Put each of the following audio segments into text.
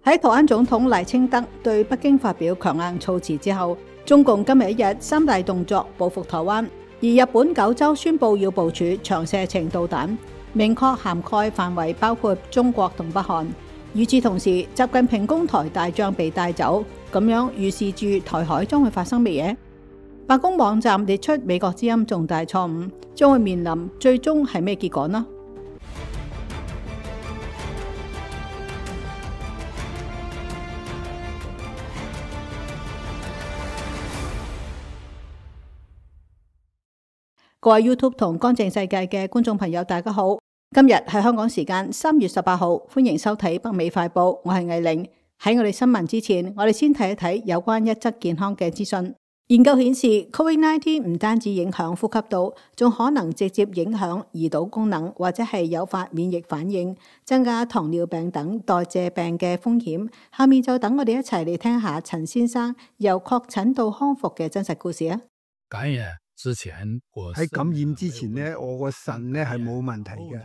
喺台灣總統賴清德對北京發表強硬措辭之後，中共今日一日三大動作報復台灣，而日本九州宣布要部署長射程導彈，明確涵蓋範圍包括中國同北韓。與此同時，習近平攻台大將被帶走，咁樣預示住台海將會發生乜嘢？白宮網站列出美國之音重大錯誤，將會面臨最終係咩結果呢？各位 YouTube 同乾淨世界嘅觀眾朋友，大家好！今日係香港時間3月18號，歡迎收睇北美快報，我係藝玲。喺我哋新聞之前，我哋先睇一睇有關一則健康嘅資訊。研究顯示 ，COVID-19 唔單止影響呼吸道，仲可能直接影響胰島功能，或者係誘發免疫反應，增加糖尿病等代謝病嘅風險。下面就等我哋一齊嚟聽下陳先生由確診到康復嘅真實故事啊！喺感染之前呢，我個腎呢係冇問題嘅，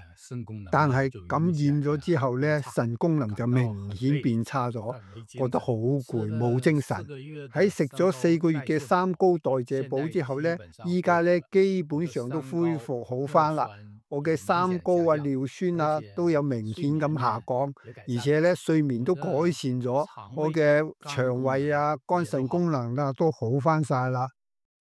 但係感染咗之後呢，腎功能就明顯變差咗，覺得好攰，冇精神。喺食咗4個月嘅三高代謝補之後呢，依家呢基本上都恢復好返啦。我嘅三高啊、尿酸啊都有明顯咁下降，而且呢睡眠都改善咗，我嘅腸胃啊、肝腎功能啊都好返晒啦。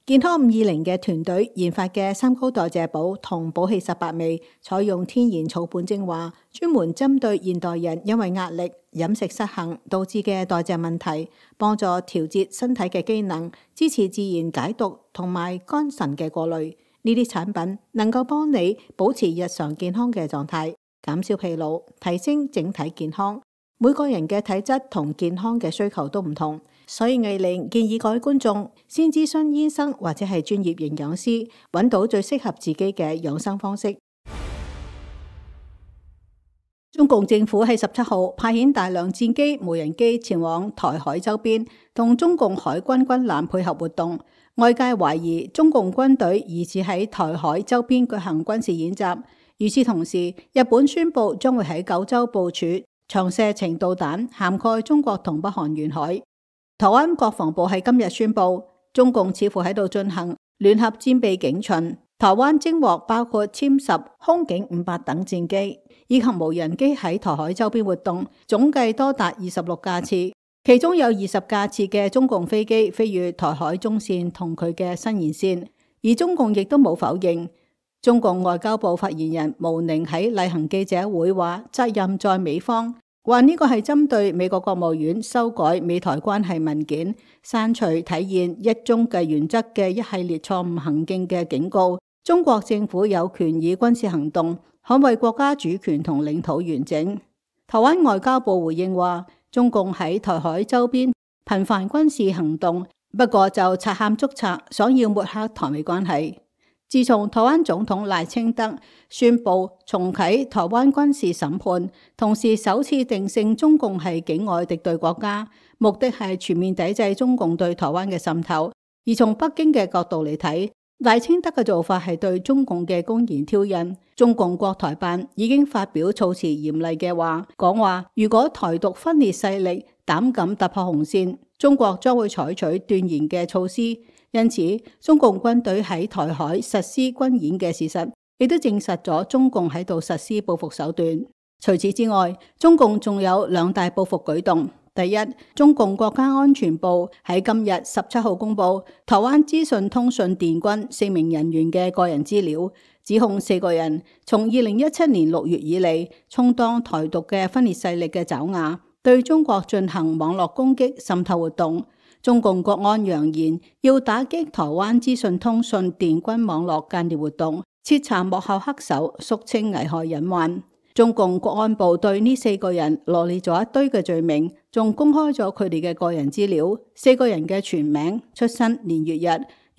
健康520嘅團隊研發嘅三高代謝補同補氣18味，採用天然草本精華，專門針對現代人因為壓力、飲食失衡導致嘅代謝問題，幫助調節身體嘅機能，支持自然解毒同埋肝腎嘅過濾。呢啲產品能夠幫你保持日常健康嘅狀態，減少疲勞，提升整體健康。每個人嘅體質同健康嘅需求都唔同，所以藝玲建議各位觀眾先諮詢醫生或者係專業營養師，揾到最適合自己嘅養生方式。中共政府喺17號派遣大量戰機、無人機前往台海周邊，同中共海軍軍艦配合活動。外界懷疑中共軍隊疑似喺台海周邊舉行軍事演習。與此同時，日本宣布將會喺九州部署長射程導彈，涵蓋中國同北韓沿海。台灣國防部喺今日宣布，中共似乎喺度進行聯合戰備警巡。台灣偵獲包括殲10、空警500等戰機，以及無人機喺台海周邊活動，總計多達26架次。其中有20架次嘅中共飛機飛越台海中線同佢嘅新延線，而中共亦都冇否認。中共外交部發言人毛寧喺例行記者會話，責任在美方，話呢個係針對美國國務院修改美台關係文件，刪除體現一中嘅原則嘅一系列錯誤行徑嘅警告。中國政府有權以軍事行動捍衛國家主權同領土完整。台灣外交部回應話，中共喺台海周邊頻繁軍事行動，不過就賊喊捉賊，想要抹黑台美關係。自從台灣總統賴清德宣布重啟台灣軍事審判，同時首次定性中共係境外敵對國家，目的係全面抵制中共對台灣嘅滲透。而從北京嘅角度嚟睇，賴清德嘅做法係對中共嘅公然挑釁。中共國台辦已經發表措辭嚴厲嘅話，講話如果台獨分裂勢力膽敢突破紅線，中國將會採取斷然嘅措施。因此，中共軍隊喺台海實施軍演嘅事實，亦都證實咗中共喺度實施報復手段。除此之外，中共仲有2大報復舉動。第一，中共國家安全部喺今日17號公布台灣資訊通訊電軍4名人員嘅個人資料，指控4個人從2017年6月以嚟，充當台獨嘅分裂勢力嘅爪牙，對中國進行網絡攻擊滲透活動。中共國安揚言要打擊台灣資訊通訊電軍網絡間諜活動，徹查幕後黑手，肅清危害隱患。中共國安部對呢4個人羅列咗一堆嘅罪名，仲公開咗佢哋嘅個人資料，4個人嘅全名、出生年月日、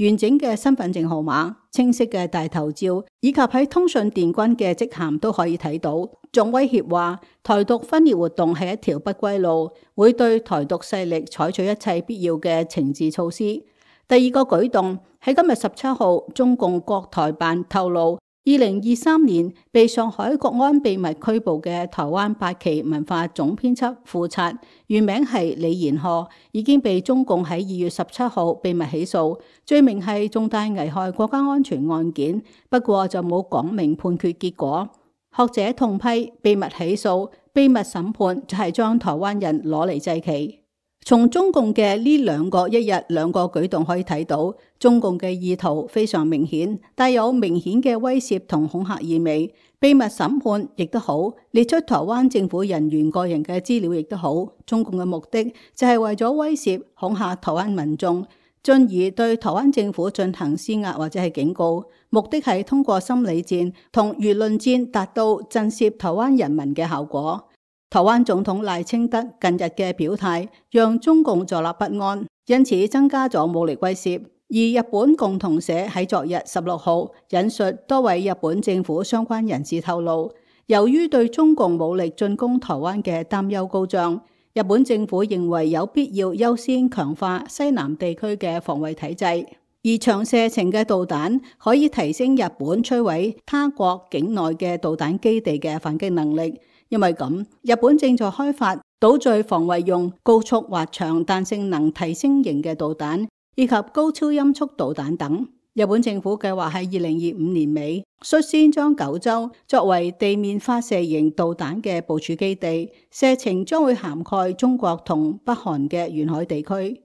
完整嘅身份證號碼、清晰嘅大頭照，以及喺通訊電軍嘅職銜都可以睇到。仲威脅話台獨分裂活動係一條不歸路，會對台獨勢力採取一切必要嘅懲治措施。第二個舉動喺今日17號，中共國台辦透露2023年被上海國安秘密拘捕嘅台灣八旗文化總編輯副策，原名係李賢賀，已經被中共喺2月17號秘密起訴，罪名係重大危害國家安全案件，不過就冇講明判決結果。學者痛批秘密起訴、秘密審判就係將台灣人攞嚟祭旗。從中共嘅呢兩個一日兩個舉動可以睇到，中共嘅意圖非常明顯，帶有明顯嘅威脅同恐嚇意味。秘密審判亦都好，列出台灣政府人員個人嘅資料亦都好，中共嘅目的就係為咗威脅恐嚇台灣民眾，進而對台灣政府進行施壓或者係警告，目的係通過心理戰同輿論戰達到震懾台灣人民嘅效果。台灣總統賴清德近日嘅表態，讓中共坐立不安，因此增加咗武力威懾。而日本共同社喺昨日16號引述多位日本政府相關人士透露，由於對中共武力進攻台灣嘅擔憂高漲，日本政府認為有必要優先強化西南地區嘅防衛體制，而長射程嘅導彈可以提升日本摧毀他國境內嘅導彈基地嘅反擊能力。因為咁，日本正在開發島嶼防衛用高速滑翔彈性能提升型嘅導彈，以及高超音速導彈等。日本政府計劃喺2025年尾率先將九州作為地面發射型導彈嘅部署基地，射程將會涵蓋中國同北韓嘅沿海地區。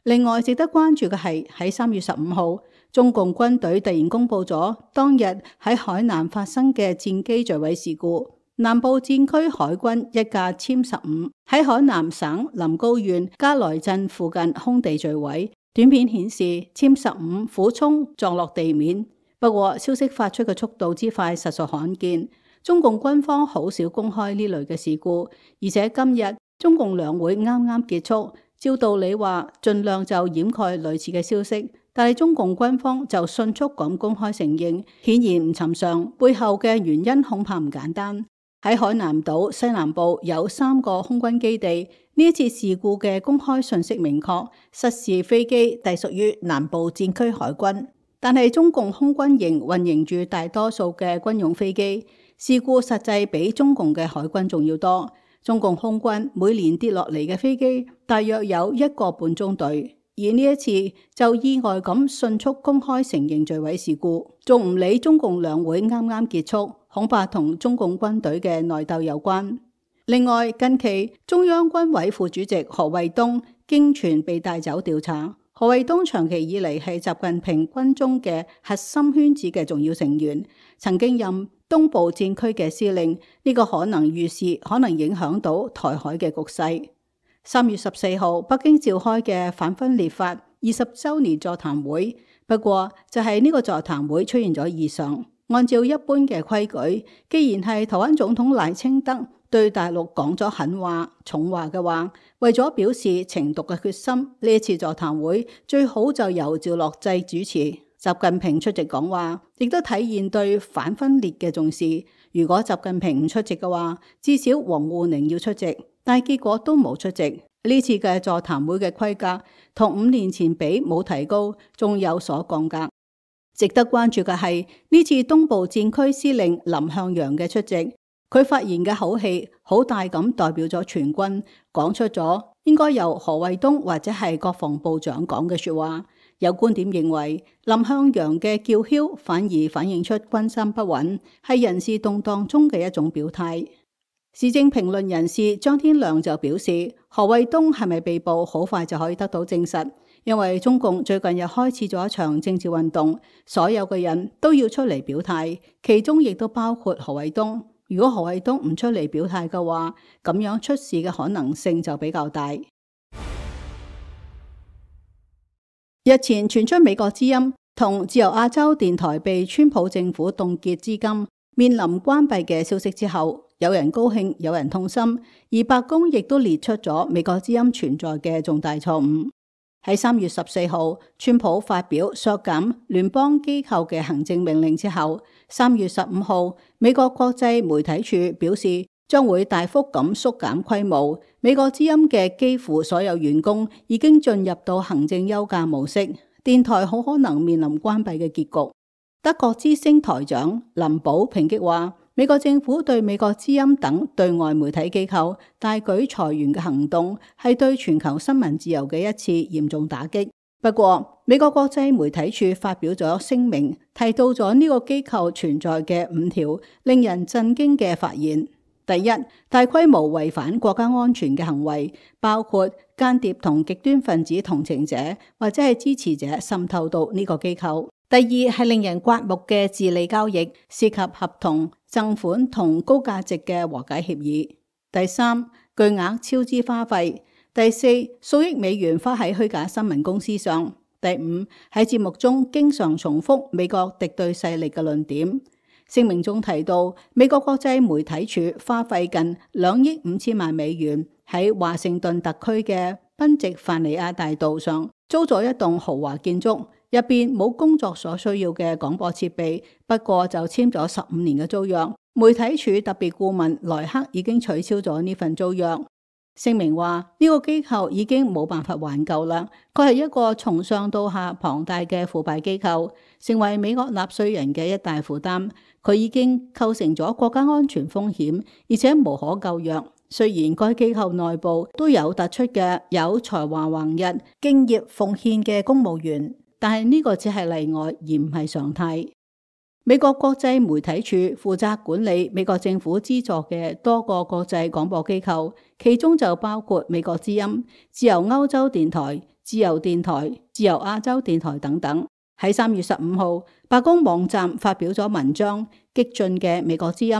另外值得關注嘅係喺3月15號，中共軍隊突然公布咗當日喺海南發生嘅戰機墜毀事故。南部戰區海軍一架殲15喺海南省臨高縣加來鎮附近空地墜毀，短片顯示殲15俯衝撞落地面。不過消息發出嘅速度之快實屬罕見，中共軍方好少公開呢類嘅事故，而且今日中共兩會啱啱結束，照道理話盡量就掩蓋類似嘅消息，但係中共軍方就迅速咁公開承認，顯然唔尋常，背後嘅原因恐怕唔簡單。喺海南島西南部有3個空軍基地，呢一次事故嘅公開信息明確，失事飛機隸屬於南部戰區海軍，但係中共空軍營運營住大多數嘅軍用飛機，事故實際比中共嘅海軍仲要多。中共空軍每年跌落嚟嘅飛機大約有1個半中隊，而呢一次就意外咁迅速公開承認墜毀事故，仲唔理中共兩會啱啱結束，恐怕同中共軍隊嘅內鬥有關。另外，近期中央軍委副主席何衛東經傳被帶走調查。何衛東長期以嚟係習近平軍中嘅核心圈子嘅重要成員，曾經任東部戰區嘅司令，呢個可能預示可能影響到台海嘅局勢。3月14號，北京召開嘅反分裂法20週年座談會，不過就係呢個座談會出現咗異常。按照一般嘅規矩，既然係台灣總統賴清德對大陸講咗狠話、重話嘅話，為咗表示懲毒嘅決心，呢一次座談會最好就由趙樂際主持，習近平出席講話，亦都體現對反分裂嘅重視。如果習近平唔出席嘅話，至少王滬寧要出席，但係結果都冇出席。呢次嘅座談會嘅規格同5年前比冇提高，仲有所降格。值得關注嘅係呢次東部戰區司令林向陽嘅出席，佢發言嘅口氣好大咁代表咗全軍，講出咗應該由何衛東或者係國防部長講嘅說話。有觀點認為林向陽嘅叫囂反而反映出軍心不穩，係人事動盪中嘅一種表態。時政評論人士張天亮就表示，何衛東係咪被捕好快就可以得到證實，因為中共最近又開始咗一場政治運動，所有嘅人都要出嚟表態，其中亦都包括何衛東。如果何衛東唔出嚟表態嘅話，咁樣出事嘅可能性就比較大。日前傳出美國之音同自由亞洲電台被川普政府凍結資金，面臨關閉嘅消息之後，有人高興，有人痛心，而白宮亦都列出咗美國之音存在嘅重大錯誤。喺3月14號，川普發表削減聯邦機構嘅行政命令之後，3月15號，美國國際媒體處表示將會大幅咁縮減規模。美國之音嘅幾乎所有員工已經進入到行政休假模式，電台好可能面臨關閉嘅結局。德國之聲台長林堡抨擊話，美國政府對美國之音等對外媒體機構大舉裁員嘅行動係對全球新聞自由嘅一次嚴重打擊。不過，美國國際媒體處發表咗聲明，提到咗呢個機構存在嘅5條令人震驚嘅發現。第一，大規模違反國家安全嘅行為，包括間諜同極端分子同情者或者係支持者滲透到呢個機構。第二係令人刮目嘅治理交易，涉及合同、贈款同高價值嘅和解協議。第三，巨額超支花費。第四，數億美元花喺虛假新聞公司上。第五，喺節目中經常重複美國敵對勢力嘅論點。聲明中提到，美國國際媒體處花費近2億5千萬美元喺華盛頓特區嘅賓夕凡尼亞大道上租咗一棟豪華建築，入邊冇工作所需要嘅廣播設備，不過就簽咗15年嘅租約。媒體處特別顧問萊克已經取消咗呢份租約。聲明話呢個機構已經冇辦法挽救啦，佢係一個從上到下龐大嘅腐敗機構，成為美國納稅人嘅一大負擔。佢已經構成咗國家安全風險，而且無可救藥。雖然該機構內部都有突出嘅有才華橫溢、敬業奉獻嘅公務員，但係呢個只係例外，而唔係常態。美國國際媒體處負責管理美國政府資助嘅多個國際廣播機構，其中就包括美國之音、自由歐洲電台、自由電台、自由亞洲電台等等。喺3月15號，白宮網站發表咗文章《激進嘅美國之音》，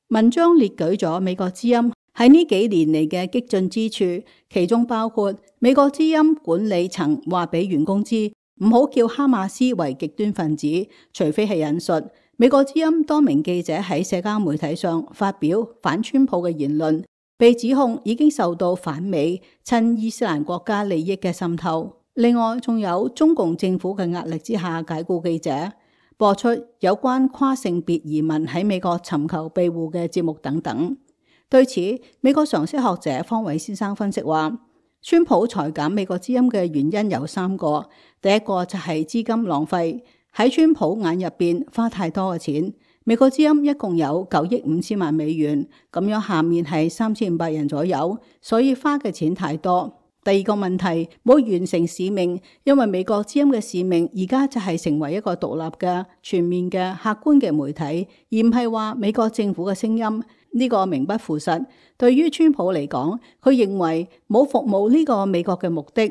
文章列舉咗美國之音喺呢幾年嚟嘅激進之處，其中包括美國之音管理層話俾員工知唔好叫哈馬斯為極端分子，除非係引述美國之音多名記者喺社交媒體上發表反川普嘅言論，被指控已經受到反美、親伊斯蘭國家利益嘅滲透。另外，仲有中共政府嘅壓力之下解僱記者，播出有關跨性別移民喺美國尋求庇護嘅節目等等。對此，美國常識學者方偉先生分析話，川普裁減美國之音嘅原因有3個。第一個就係資金浪費，喺川普眼入邊花太多嘅錢。美國之音一共有9億5千萬美元，咁樣下面係3500人左右，所以花嘅錢太多。第二個問題，冇完成使命，因為美國之音嘅使命而家就係成為一個獨立嘅、全面嘅、客觀嘅媒體，而唔係話美國政府嘅聲音。呢個名不符實。對於川普嚟講，佢認為冇服務呢個美國嘅目的。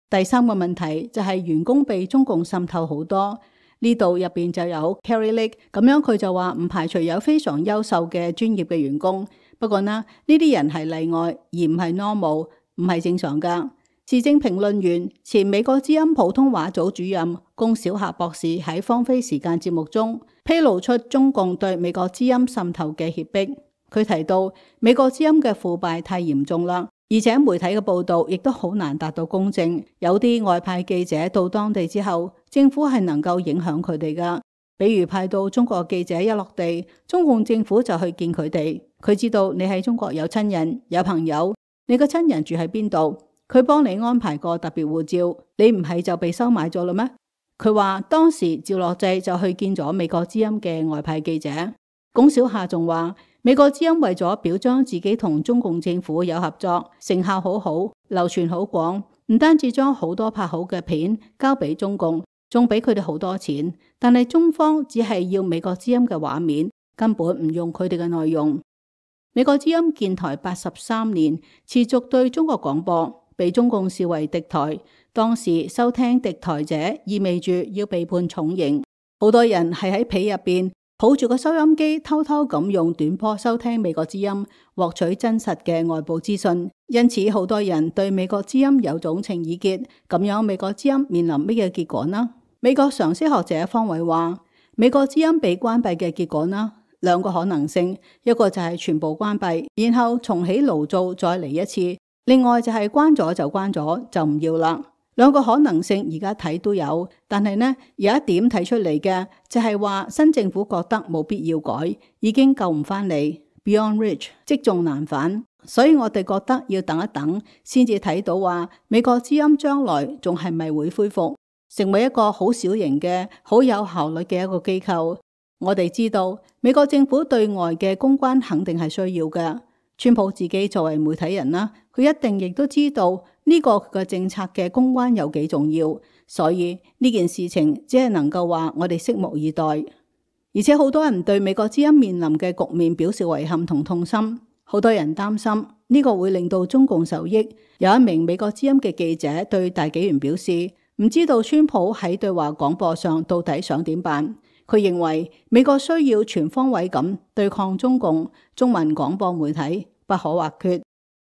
第三個問題就係員工被中共滲透好多，呢度入邊就有 Carrie Lake， 咁樣佢就話唔排除有非常優秀嘅專業嘅員工，不過呢啲人係例外，而唔係 normal。唔係正常㗎。時政評論員、前美國之音普通話組主任龔小霞博士喺芳菲時間節目中披露出中共對美國之音滲透嘅脅迫。佢提到美國之音嘅腐敗太嚴重啦，而且媒體嘅報導亦都好難達到公正。有啲外派記者到當地之後，政府係能夠影響佢哋㗎。比如派到中國記者一落地，中共政府就去見佢哋。佢知道你喺中國有親人、有朋友。你個親人住喺邊度？佢幫你安排個特別護照，你唔係就被收買咗啦咩？佢話當時趙樂際就去見咗美國之音嘅外派記者。龔小夏仲話，美國之音為咗表彰自己同中共政府有合作，成效好好，流傳好廣，唔單止將好多拍好嘅片交俾中共，仲俾佢哋好多錢。但係中方只係要美國之音嘅畫面，根本唔用佢哋嘅內容。美國之音建台83年，持續對中國廣播，被中共視為敵台。當時收聽敵台者意味住要被判重刑。好多人係喺被入邊抱住個收音機，偷偷咁用短波收聽美國之音，獲取真實嘅外部資訊。因此，好多人對美國之音有種情意結。咁樣，美國之音面臨乜嘢結果呢？美國常識學者方偉話，美國之音被關閉嘅結果呢？2個可能性，一個就係全部關閉，然後重起爐灶再嚟一次；另外就係關咗就關咗，就唔要啦。2個可能性而家睇都有，但係呢有一點睇出嚟嘅就係話新政府覺得冇必要改，已經救唔返嚟 ，Beyond Reach， 積重難返。所以我哋覺得要等一等，先至睇到話美國之音將來仲係咪會恢復。成為一個好小型嘅、好有效率嘅一個機構。我哋知道美國政府對外嘅公關肯定係需要嘅。川普自己作為媒體人啦，佢一定亦都知道呢個嘅政策嘅公關有幾重要，所以呢件事情只係能夠話我哋拭目以待。而且好多人對美國之音面臨嘅局面表示遺憾同痛心，好多人擔心呢個會令到中共受益。有一名美國之音嘅記者對大紀元表示，唔知道川普喺對華廣播上到底想點辦。佢認為美國需要全方位咁對抗中共，中文廣播媒體不可或缺。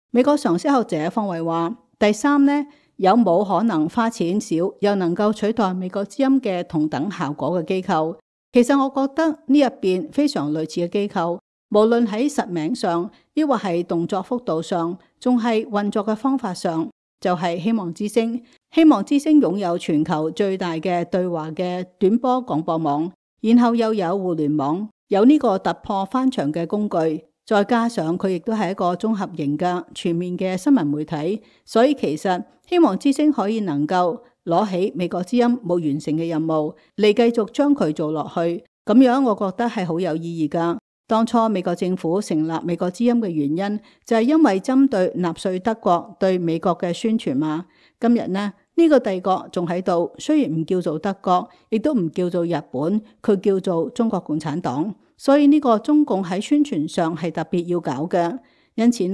美國常識學者方偉話，第三呢，有冇可能花錢少又能夠取代美國之音嘅同等效果嘅機構？其實我覺得呢入邊非常類似嘅機構，無論喺實名上，抑或係動作幅度上，仲係運作嘅方法上，就係希望之聲。希望之聲擁有全球最大嘅對華嘅短波廣播網，然後又有互聯網，有呢個突破翻牆嘅工具，再加上佢亦都係一個綜合型嘅全面嘅新聞媒體，所以其實希望之聲可以能夠攞起美國之音冇完成嘅任務嚟繼續將佢做落去，咁樣我覺得係好有意義噶。當初美國政府成立美國之音嘅原因就係因為針對納粹德國對美國嘅宣傳嘛。今日呢個帝國仲喺度，雖然唔叫做德國，亦都唔叫做日本，佢叫做中國共產黨，所以呢個中共喺宣傳上係特別要搞嘅。因此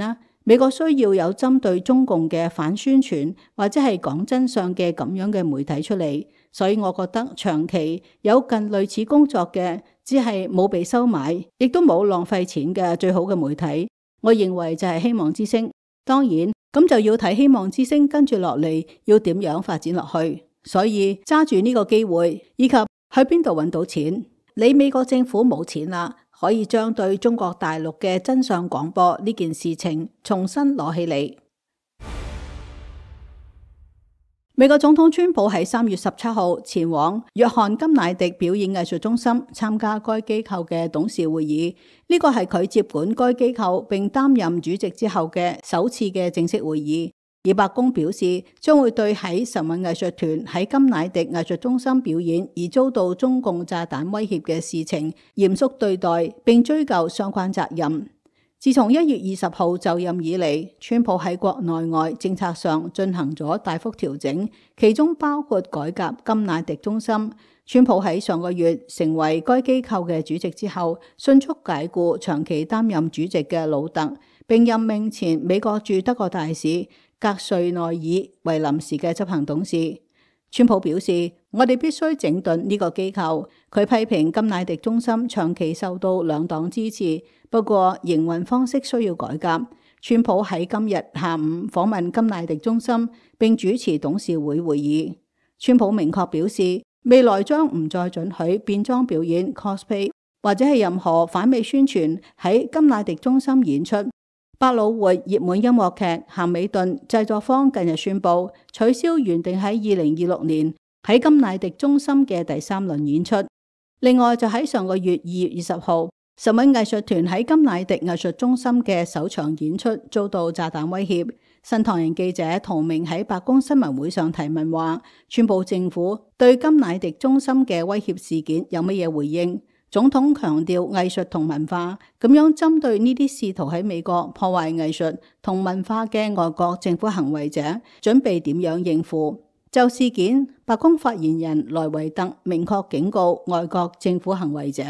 美國需要有針對中共嘅反宣傳或者係講真相嘅咁樣嘅媒體出嚟，所以我覺得長期有近類似工作嘅，只係冇被收買，亦都冇浪費錢嘅最好嘅媒體，我認為就係希望之聲。當然咁就要睇希望之聲跟住落嚟要點樣發展落去，所以揸住呢個機會，以及去邊度揾到錢。你美國政府冇錢啦，可以將對中國大陸嘅真相廣播呢件事情重新攞起嚟。美國總統川普喺3月17號前往約翰甘迺迪表演藝術中心參加該機構嘅董事會議，呢個係佢接管該機構並擔任主席之後嘅首次嘅正式會議。而白宮表示將會對喺神韻藝術團喺甘迺迪藝術中心表演而遭到中共炸彈威脅嘅事情嚴肅對待，並追究相關責任。自從1月20號就任以嚟，川普喺國內外政策上進行咗大幅調整，其中包括改革甘迺迪中心。川普喺上個月成為該機構嘅主席之後，迅速解雇長期擔任主席嘅魯特，並任命前美國駐德國大使格瑞內爾為臨時嘅執行董事。川普表示，我哋必須整頓呢個機構。佢批評甘迺迪中心長期受到兩黨支持，不過營運方式需要改革。川普喺今日下午訪問甘迺迪中心並主持董事會會議。川普明確表示，未來將唔再准許變裝表演 cosplay 或者係任何反美宣傳喺甘迺迪中心演出。百老匯熱門音樂劇《咸美頓》製作方近日宣布取消原定喺2026年喺甘迺迪中心嘅第3輪演出。另外就喺上個月2月20號，神韻藝術團喺甘迺迪藝術中心嘅首場演出遭到炸彈威脅。新唐人記者陶明喺白宮新聞會上提問話，川普政府對甘迺迪中心嘅威脅事件有乜嘢回應？總統強調藝術同文化，咁樣針對呢啲試圖喺美國破壞藝術同文化嘅外國政府行為者，準備點樣應付？就事件，白宮發言人萊維特明確警告外國政府行為者，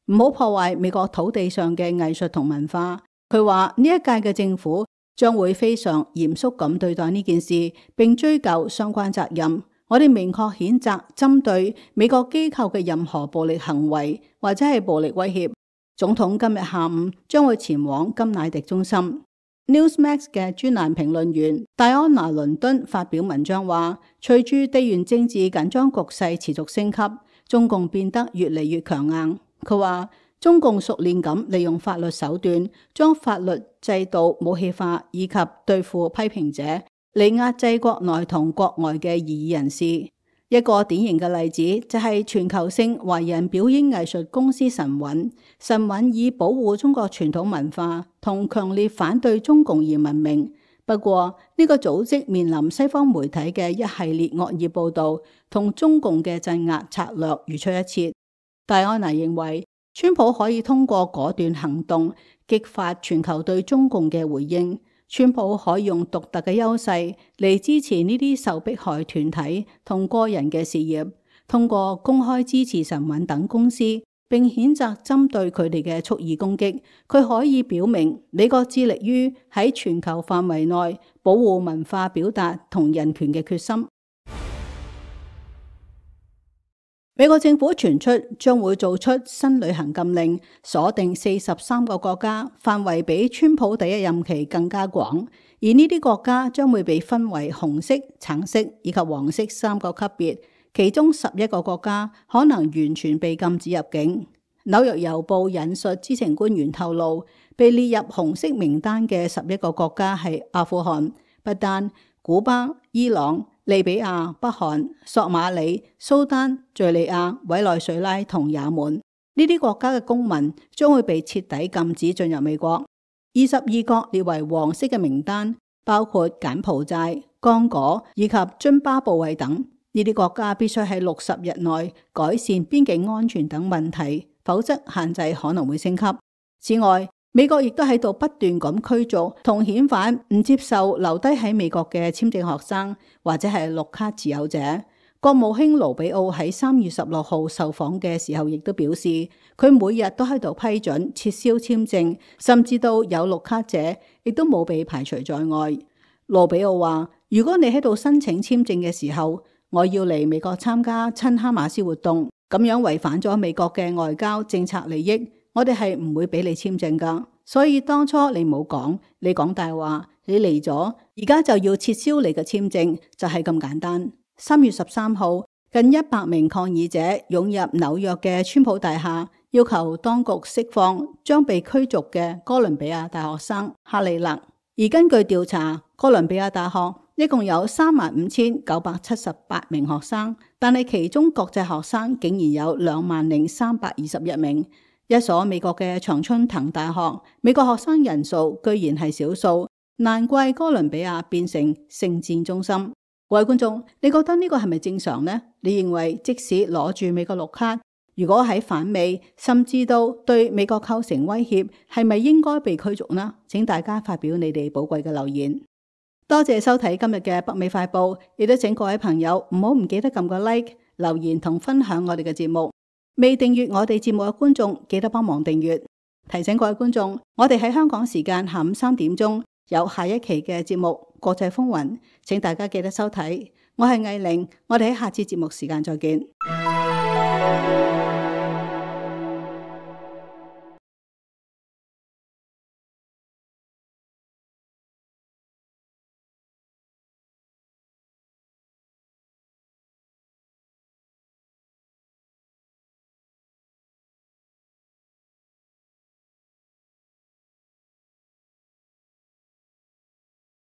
唔好破壞美國土地上嘅藝術同文化。佢話呢一屆嘅政府將會非常嚴肅咁對待呢件事，並追究相關責任。我哋明確譴責針對美國機構嘅任何暴力行為或者係暴力威脅。總統今日下午將會前往甘迺迪中心。Newsmax 嘅專欄評論員戴安娜倫敦發表文章話，隨住地緣政治緊張局勢持續升級，中共變得越嚟越強硬。佢話中共熟練咁利用法律手段，將法律制度武器化，以及對付批評者，嚟壓制國內同國外嘅異議人士。一個典型嘅例子就係全球性華人表演藝術公司神韻。神韻以保護中國傳統文化同強烈反對中共而聞名。不過呢個組織面臨西方媒體嘅一系列惡意報導，同中共嘅鎮壓策略如出一轍。戴安娜認為，川普可以通過果斷行動激發全球對中共嘅回應。川普可以用獨特嘅優勢嚟支持呢啲受迫害團體同個人嘅事業，通過公開支持晨運等公司，並譴責針對佢哋嘅蓄意攻擊。佢可以表明美國致力於喺全球範圍內保護文化表達同人權嘅決心。美國政府傳出將會做出新旅行禁令，鎖定43個國家，範圍比川普第一任期更加廣。而呢啲國家將會被分為紅色、橙色以及黃色3個級別，其中11個國家可能完全被禁止入境。紐約郵報引述知情官員透露，被列入紅色名單嘅11個國家係阿富汗、不丹、古巴、伊朗、利比亞、北韓、索馬里、蘇丹、敘利亞、委內瑞拉同也門。呢啲國家嘅公民將會被徹底禁止進入美國。22國列為黃色嘅名單，包括柬埔寨、剛果以及津巴布韋等。呢啲國家必須喺60日內改善邊境安全等問題，否則限制可能會升級。此外，美國亦都喺度不斷咁驅逐同遣返唔接受留低喺美國嘅簽證學生或者係綠卡持有者。國務卿盧比奧喺3月16號受訪嘅時候亦都表示，佢每日都喺度批准撤銷簽證，甚至到有綠卡者亦都冇被排除在外。盧比奧話，如果你喺度申請簽證嘅時候，我要嚟美國參加親哈馬斯活動，咁樣違反咗美國嘅外交政策利益，我哋係唔會俾你簽證噶。所以當初你冇講，你講大話，你嚟咗，而家就要撤銷你嘅簽證，就係咁簡單。3月13號，近100名抗議者湧入紐約嘅川普大廈，要求當局釋放將被驅逐嘅哥倫比亞大學生哈里勒。而根據調查，哥倫比亞大學一共有35,978名學生，但係其中國際學生竟然有20,321名。一所美國嘅常春藤大學，美國學生人數居然係少數，難怪哥倫比亞變成聖戰中心。各位觀眾，你覺得呢個係咪正常呢？你認為即使攞住美國綠卡，如果喺反美甚至到對美國構成威脅，係咪應該被驅逐呢？請大家發表你哋寶貴嘅留言。多謝收睇今日嘅北美快報，亦都請各位朋友唔記得撳個 like、留言同分享我哋嘅節目。未訂閱我哋節目嘅觀眾，記得幫忙訂閱。提醒各位觀眾，我哋喺香港時間下午3點鐘有下一期嘅節目《國際風雲》，請大家記得收睇。我係藝玲，我哋喺下次節目時間再見。